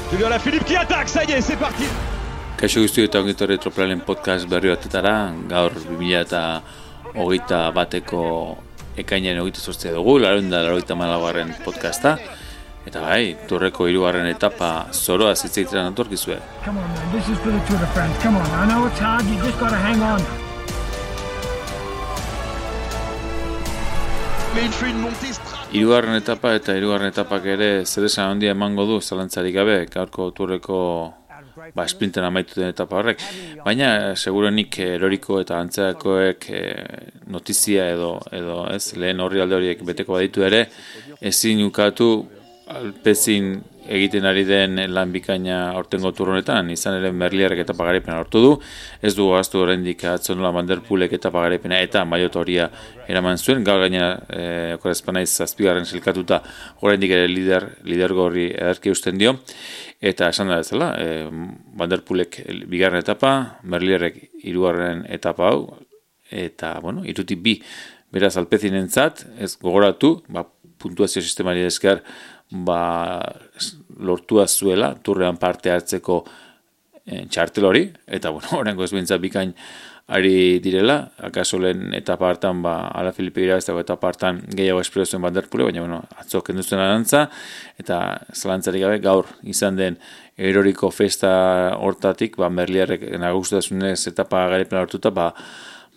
Julien Alaphilippe qui attaque, ça y est, c'est parti. Kaixo guzti eta ongitorri Tropelaren podcast berri batetara, gaur 2021ko ekainaren 28 dugu, 88. podcasta, eta bai, Tourreko 3. etapa zoroa zitzaiteran atorkizue. Come on, man, this is for the Tour de France, come on, I know it's hard, you just gotta hang on. Mais il fait une montée stratégique. 3. etapa eta 3. etapak ere zeresan handia emango du, zalantzarik gabe, gaurko Tourreko sprinten amaitu den etapa horrek. Baina, segurenik eroriko eta antzeakoek notizia edo ez, lehen horri alde horiek beteko baditu ere, ezin ukatu Alpecin egiten ari den lan bikaina aurtengo Tour honetan, izan ere Merlierrek etapa garaipena lortu du, ez du gaztu oraindik atzo nola Van der Poelek etapa garaipena eta Maillot Horia eraman zuen, gaur gaina okorazpanaiz 7. silkatuta oraindik ere lidergorri ederki eusten dio, eta esan da bezala, Van der Poelek 2. etapa, Merlierrek 3. etapa hau, eta, bueno, 2 beraz Alpecinentzat, ez gogoratu, puntuazio sistemari esker, lortua zuela, Tourrean parte hartzeko txartel hori, eta, bueno, horrengo ez bintzat bikain ari direla, akaso lehen etapa hartan, Alaphilippe irabazteko etapa hartan gehiago espero zuen Van der Poel, baina, bueno, atzo kendu zuen arantza, eta zalantzarik gabe gaur izan den eroriko festa hortatik, Merlierrek nagusutasunez etapa garaipen hartuta,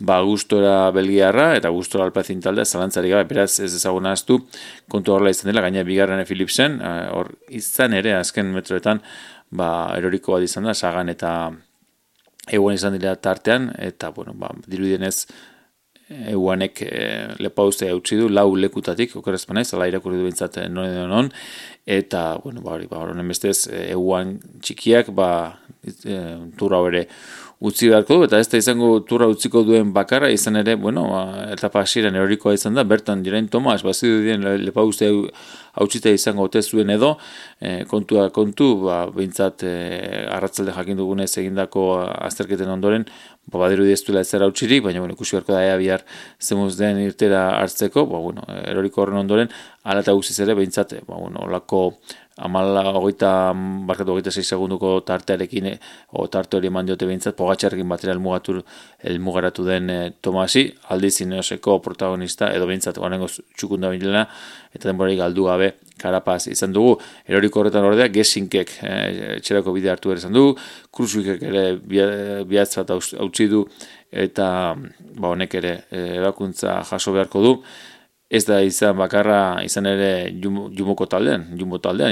gustora belgiarra eta gustora Alpecin taldea zalantzarik gabe, beraz ez ezagun ahaztu kontu horrela izan dela, gaina 2. Philipsen, hor izan ere azken metroetan eroriko bat izan da, Sagan eta Ewan izan dira tartean, eta bueno, dirudienez Ewanek lepauzea utzi du, 4 lekutatik, okerazpanaiz, ala irakurri du bintzat non, eta, bueno, honen bestez, Ewan txikiak, turra ere utzi beharko du, eta ez da izango turra utziko duen bakarra, izan ere, bueno, etapa hasieran erorikoa izan da, bertan Geraint Thomas, bazidu dien lepauzea hautsita izango ote zuen edo, kontu, bintzat arratzalde jakin dugunez egindako azterketen ondoren, badiru dieztuela ez zera hautsirik, baina ikusi beharko da ea bihar zemuz den irtera hartzeko, eroriko horren ondoren, ala eta guziz ere, bintzat, olako 26 segunduko tartearekin, tarte hori eman diote bintzat, Pogačarrekin batera elmugaratu den Tomasi, aldiz Ineoseko protagonista, edo bintzat, guanengo txukunda bilena, eta denborari galdu gabe Carapaz izan dugu. Eroriko horretan ordea, Gessinkek etxerako bide hartu ere izan dugu, Kružvikek ere bihatzat hautsi du, eta honek ere ebakuntza jaso beharko du. Ez da izan bakarra, izan ere Jumbo taldean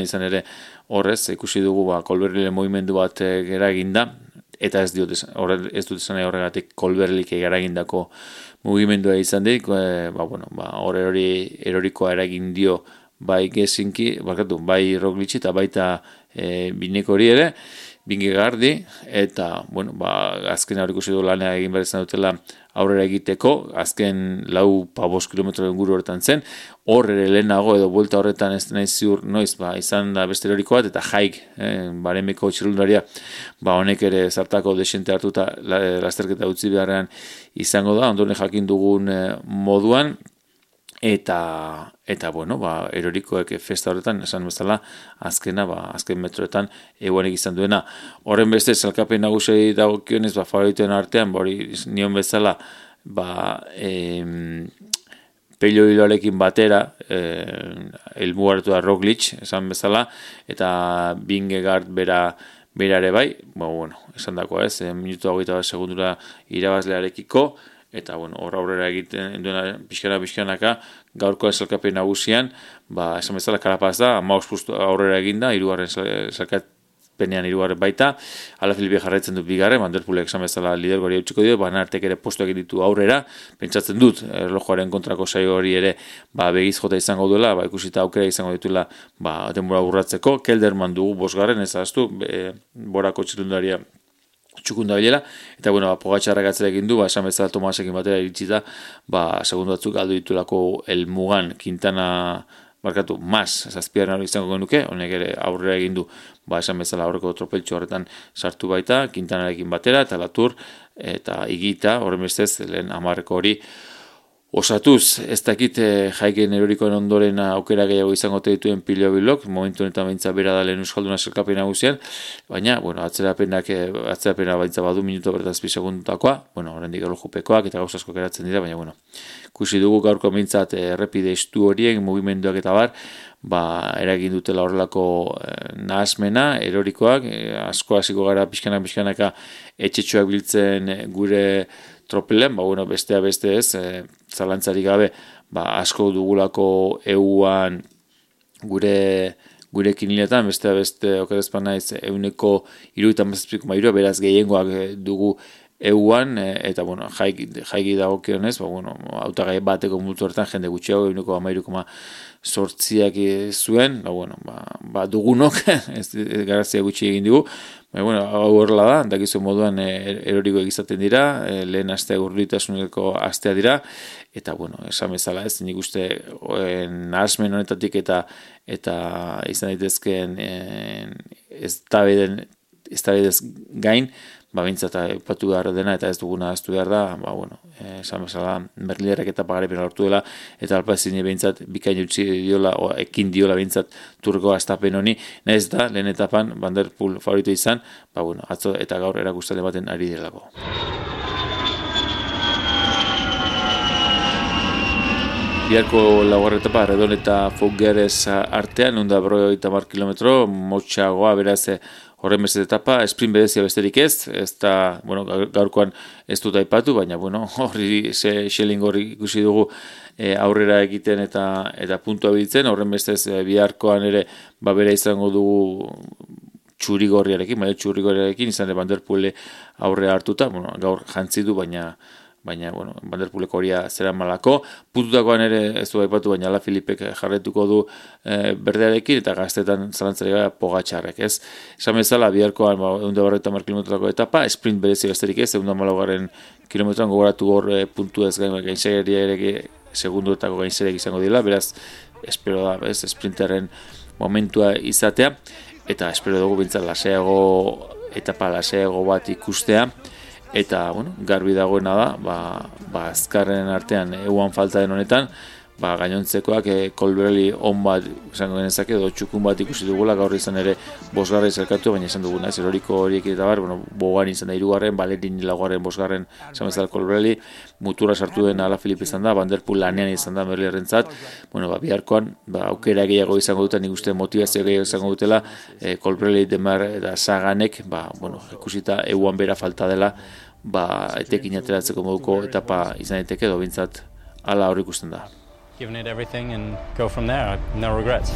izan ere horrez, ikusi dugu Colbrelli movimendu bat eraginda, eta ez dut esan horregatik Colbrellik eragindako mugimendua izan dik, hor erorikoa eragin dio bai Gessinki, bai Roglic eta baita Bineko hori ere, Vingegaardi, eta, azken hori ikusi du lanea egin behar izan dutela aurrera egiteko, azken 4-5 kilometroen guru horretan zen, hor ere lehenago edo buelta horretan ez nahi ziur noiz, izan da beste eroriko bat, eta Haig, baremeko txirrundaria, honek ere zartako desente hartuta lasterketa utzi beharrean izango da, ondoren jakin dugun moduan, eta erorikoek festa horretan, esan bezala, azken metroetan Ewanek izan duena. Horren beste, salkapen nagusei dagokionez, favoritoen artean, nion bezala, Pello Hiloarekin batera, elmugaratu da Roglic, esan bezala, eta Vingegaard bera ere bai, esan dako ez, minutu 20 segundura irabazlearekiko, eta hor aurrera egiten duena pixkanaka, gaurko salkapen nagusian, esan bezala Carapaz da, 15 pustu aurrera eginda, 3. salkapenean 3. baita, Alaphilippe jarraitzen du 2. Van der Poelek esan bezala lidergori hautsiko dio, Artek ere postu egin ditu aurrera, pentsatzen dut, erlojuaren kontrako saio hori ere, begiz jota izango duela, ikusita aukera izango dituela, denbora urratzeko, Kelderman dugu 5. ez ahaztu, borako txirrundaria txukunda bilela, eta Pogačarrak atzera egin du, esan bezala Tomasekin batera iritsi da, segundu batzuk galdu ditulako elmugan Quintana Mas, 7. hori izango genuke, honek ere aurrera egin du, esan bezala aurreko tropeltxo horretan sartu baita, Quintanarekin batera, eta Latour, eta Igita, horren bestez, lehen 10 hori osatuz, ez dakit jaiken erorikoen ondoren aukera gehiago izango dituen Pilo Bilok, momentu honetan baintza bera da lehen euskalduna zerkapen nagusian, baina, bueno, atzerapena baintza badu minuto bertazpi segundutakoa, bueno, oraindik erlojupekoak eta gauzasko geratzen dira, baina, bueno, ikusi dugu gaurko mintzat errepide estu horien, mugimenduak eta bar, eragin dutela horrelako nahasmena, erorikoak, asko hasiko gara pixkanaka etxetxoak biltzen gure tropelen, bestea beste ez, zalantzarik gabe, asko dugulako EUan gure kiniletan, bestea beste okerezpan naiz, 70,3, beraz gehiengoak dugu EUan, eta, jaiki dagokionez, hautagai bateko multu horretan jende gutxiago, 13,8 zuen, dugunok, garazia gutxi egin digu, hau horrela da, dakizu moduan eroriko egizaten dira, lehen astea gurritasuneko astea dira, eta, esan bezala ez, nik uste nahasmen honetatik eta izan daitezkeen ez tabedez gain, bintzat epatu behar dena eta ez duguna aztu behar da, esan bezala Merliderak eta pagarepena lortu dela, eta Alpecin bintzat bikain utzi diola, ekin diola bintzat turko astapen honi, nahiz da, lehen etapan Van der Poel favorito izan, atzo eta gaur erakustaldi baten ari delako. Biharko laugarren etapa, Redon eta Fougueres artean, 150 kilometro, motxagoa, beraz, horren beste etapa, sprint bedezia besterik ez da, gaurkoan ez dut aipatu, baina, horri Schelling horri ikusi dugu aurrera egiten eta puntua biltzen, horren bestez biharkoan ere, bera izango dugu txurigorriarekin, izan Van der Poel aurrea hartuta, gaur jantzi du, baina, Van der Poeleko horia zera malako, puntutakoan ere ez du aipatu, baina Alaphilippek jarretuko du berdearekin, eta gaztetan zalantzari gara Pogačarrek, ez? Esan bezala, biharkoan 150 kilometrotako etapa, sprint berezi besterik ez, 150 kilometroan gogoratu hor puntu ez gainzageria ere segunduetako gainzerek izango dira, beraz, espero da, sprinterren momentua izatea, eta espero dugu bintzat etapa laseago bat ikustea, eta, garbi dagoena da, azkarren artean EUan falta den honetan, gainontzekoak Colbrelli on bat izango genezake, edo txukun bat ikusi dugula, gaur izan ere bosgarra izalkatu, baina izan duguna, eroriko horiek eta bar, bogan izan da 3, Balerin 4, bosgarren izan bezala Colbrelli, mutura sartu den Alaphilippe izan da, Van der Poel lanean izan da Merlierrentzat, biharkoan, aukera gehiago izango duten, nik uste motivazio gehiago izango dutela, Colbrelli, Demar eta Saganek, ikusita EUan bera falta dela, etekin ateratzeko moduko etapa izan daiteke, edo bintzat ala hor ikusten da. Giving it everything and go from there. No regrets.